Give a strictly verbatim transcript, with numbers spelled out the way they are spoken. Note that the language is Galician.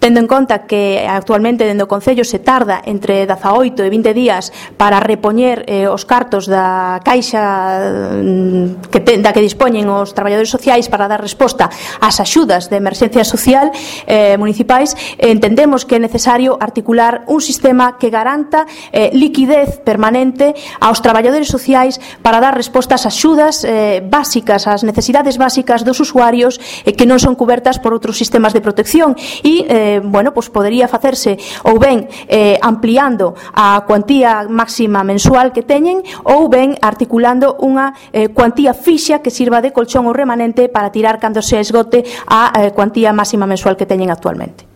tendo en conta que actualmente dentro do Concello se tarda entre dezaoito e vinte días para repoñer eh, os cartos da caixa que te, da que dispoñen os traballadores sociais para dar resposta ás axudas de emerxencia social eh, municipais, entendemos que é necesario articular un sistema que garanta eh, liquidez permanente aos traballadores sociais para dar resposta ás axudas eh, básicas, ás necesidades básicas dos usuarios eh, que non son cubertas por outros sistemas de protección e, eh, bueno, pues podería facerse ou ben eh, ampliando a cuantía máxima mensual que teñen ou ben articulando unha eh, cuantía fixa que sirva de colchón ou remanente para tirar cando se esgote a eh, cuantía máxima mensual que teñen actualmente.